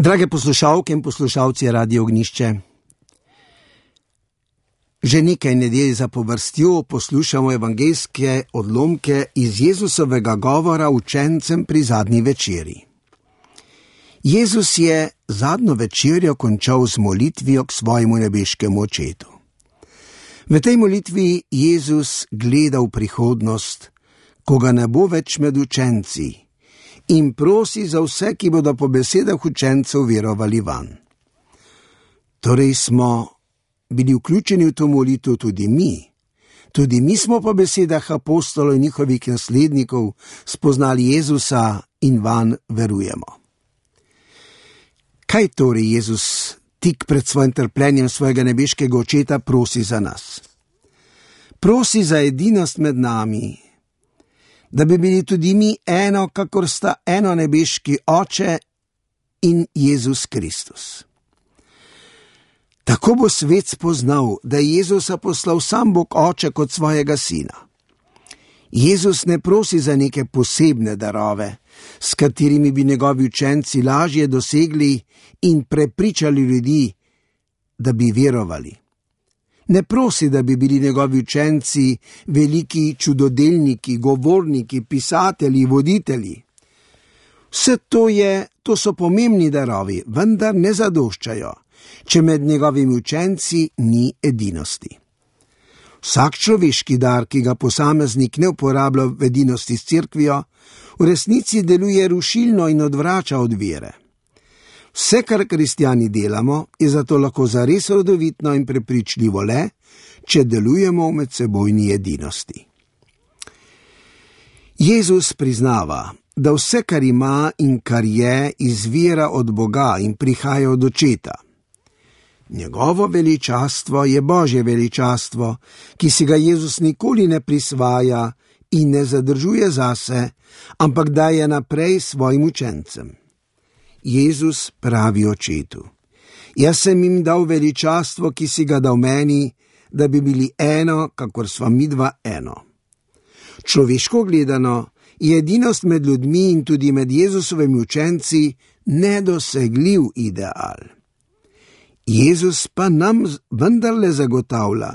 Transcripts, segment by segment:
Drage poslušalke in poslušalci Radia Ognišče, že nekaj nedelj zapovrstjo poslušamo evangeljske odlomke iz Jezusovega govora učencem pri zadnji večerji. Jezus je zadnjo večerjo končal z molitvijo k svojemu nebeškemu očetu. V tej molitvi Jezus gleda v prihodnost, ko ga ne bo več med učenci, in prosi za vse, ki bodo po besedah učencev verovali vanj. Torej smo bili vključeni v to molitev tudi mi. Tudi mi smo po besedah apostolov in njihovih naslednikov spoznali Jezusa in vanj verujemo. Kaj torej Jezus tik pred svojim trpljenjem svojega nebeškega očeta prosi za nas? Prosi za edinost med nami, da bi bili tudi mi eno, kakor sta eno nebeški Oče in Jezus Kristus. Tako bo svet spoznal, da je Jezusa poslal sam Bog Oče kot svojega sina. Jezus ne prosi za neke posebne darove, s katerimi bi njegovi učenci lažje dosegli in prepričali ljudi, da bi verovali. Ne prosi, da bi bili njegovi učenci veliki čudodelniki, govorniki, pisatelji, voditelji. Vse to so pomembni darovi, vendar ne zadoščajo, če med njegovimi učenci ni edinosti. Vsak človeški dar, ki ga posameznik ne uporablja v edinosti s cerkvijo, v resnici deluje rušilno in odvrača od vere. Vse, kar kristjani delamo, je zato lahko zares rodovitno in prepričljivo le, če delujemo v medsebojni edinosti. Jezus priznava, da vse, kar ima in kar je, izvira od Boga in prihaja od Očeta. Njegovo veličastvo je Božje veličastvo, ki si ga Jezus nikoli ne prisvaja in ne zadržuje zase, ampak daje naprej svojim učencem. Jezus pravi Očetu: jaz sem jim dal veličastvo, ki si ga dal meni, da bi bili eno, kakor sva midva eno. Človeško gledano je edinost med ljudmi in tudi med Jezusovimi učenci nedosegljiv ideal. Jezus pa nam vendarle zagotavlja,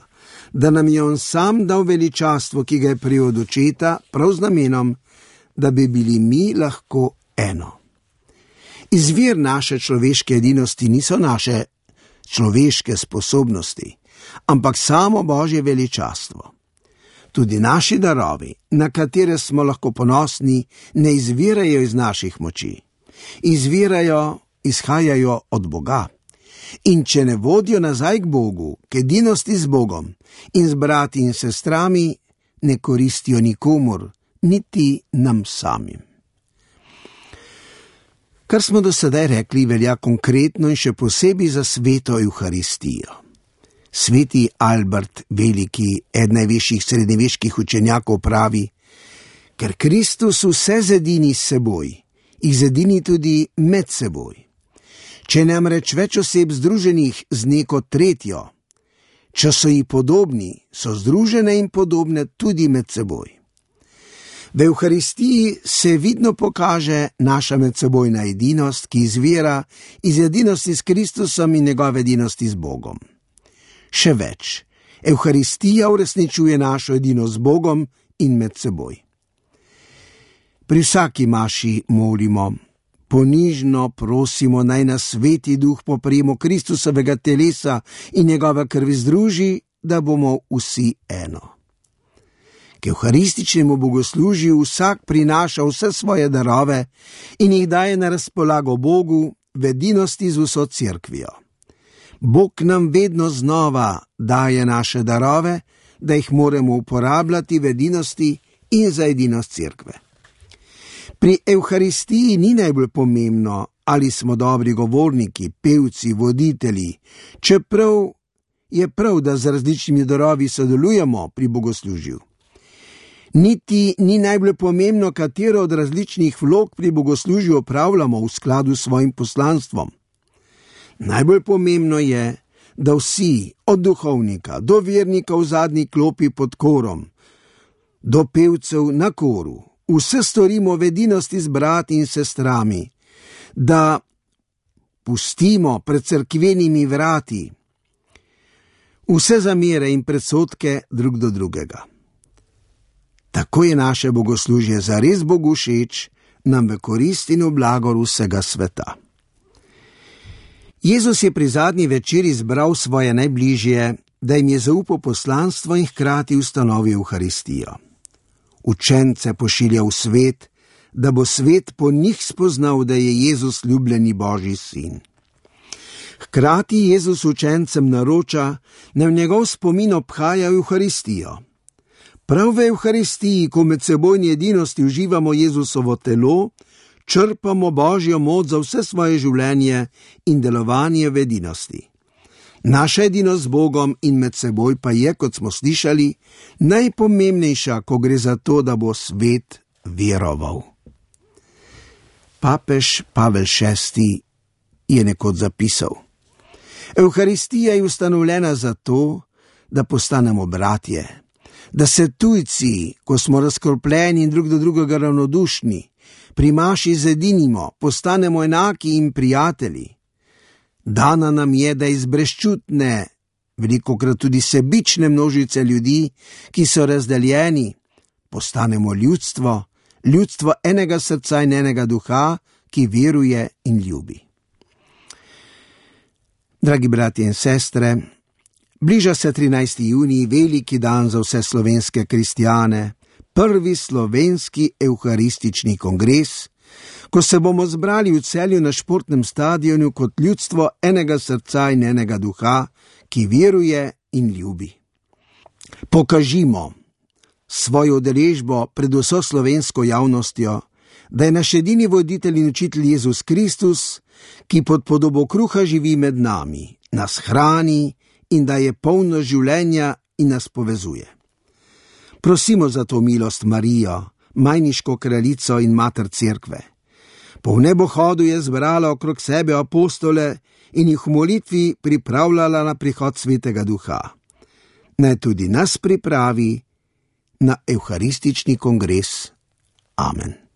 da nam je on sam dal veličastvo, ki ga je prijel od Očeta, prav z namenom, da bi bili mi lahko eno. Izvir naše človeške edinosti niso naše človeške sposobnosti, ampak samo Božje veličastvo. Tudi naši darovi, na katere smo lahko ponosni, ne izvirajo iz naših moči. Izhajajo od Boga. In če ne vodijo nazaj k Bogu, k edinosti z Bogom in z brati in sestrami, ne koristijo nikomur, niti nam samim. Kar smo do sedaj rekli, velja konkretno in še posebej za sveto Evharistijo. Sveti Albert Veliki, eden največjih srednjeveških učenjakov, pravi: ker Kristus vse zedini s seboj, jih zedini tudi med seboj. Če namreč več oseb združenih z neko tretjo, če so ji podobni, so združene in podobne tudi med seboj. V Evharistiji se vidno pokaže naša medsebojna edinost, ki izvira iz edinosti s Kristusom in njegove edinosti z Bogom. Še več, Evharistija uresničuje našo edinost z Bogom in med seboj. Pri vsaki maši molimo: ponižno prosimo, naj nas Sveti Duh po prejemu Kristusovega telesa in njegove krvi združi, da bomo vsi eno. K evharističnemu bogoslužju vsak prinaša vse svoje darove in jih daje na razpolago Bogu v edinosti z vso cerkvijo. Bog nam vedno znova daje naše darove, da jih moramo uporabljati v edinosti in za edinost cerkve. Pri Evharistiji ni najbolj pomembno, ali smo dobri govorniki, pevci, voditelji, čeprav je prav, da z različnimi darovi sodelujemo pri bogoslužju. Niti ni najbolj pomembno, katero od različnih vlog pri bogoslužju opravljamo v skladu s svojim poslanstvom. Najbolj pomembno je, da vsi, od duhovnika do vernika v zadnji klopi pod korom, do pevcev na koru, vse storimo v edinosti z brati in sestrami, da pustimo pred cerkvenimi vrati vse zamere in predsodke drug do drugega. Tako je naše bogoslužje zares Bogu všeč, nam v korist in v blagor vsega sveta. Jezus je pri zadnji večeri zbral svoje najbližje, da jim je zaupal poslanstvo in hkrati ustanovil Evharistijo. Učence pošilja v svet, da bo svet po njih spoznal, da je Jezus ljubljeni Božji sin. Hkrati Jezus učencem naroča, naj v njegov spomin obhajajo Evharistijo. Prav v Evharistiji, ko med sebojni edinosti uživamo Jezusovo telo, črpamo Božjo moč za vse svoje življenje in delovanje v edinosti. Naša edinost z Bogom in med seboj pa je, kot smo slišali, najpomembnejša, ko gre za to, da bo svet veroval. Papež Pavel VI. Je nekoč zapisal: Evharistija je ustanovljena zato, da postanemo bratje, da se tujci, ko smo razkropljeni in drug do drugega ravnodušni, pri maši zedinimo, postanemo enaki in prijatelji. Dana nam je, da iz brezčutne, velikokrat tudi sebične množice ljudi, ki so razdeljeni, postanemo ljudstvo, ljudstvo enega srca in enega duha, ki veruje in ljubi. Dragi bratje in sestre, bliža se 13. junij, veliki dan za vse slovenske kristjane, prvi slovenski evharistični kongres, ko se bomo zbrali v Celju na športnem stadionu kot ljudstvo enega srca in enega duha, ki veruje in ljubi. Pokažimo svojo udeležbo pred vso slovensko javnostjo, da je naš edini voditelj in učitelj Jezus Kristus, ki pod podobo kruha živi med nami, nas hrani in da je polno življenja in nas povezuje. Prosimo za to milost Marijo, majniško kraljico in mater cerkve. Po nebohodu je zbrala okrog sebe apostole in jih v molitvi pripravljala na prihod Svetega Duha. Naj tudi nas pripravi na evharistični kongres. Amen.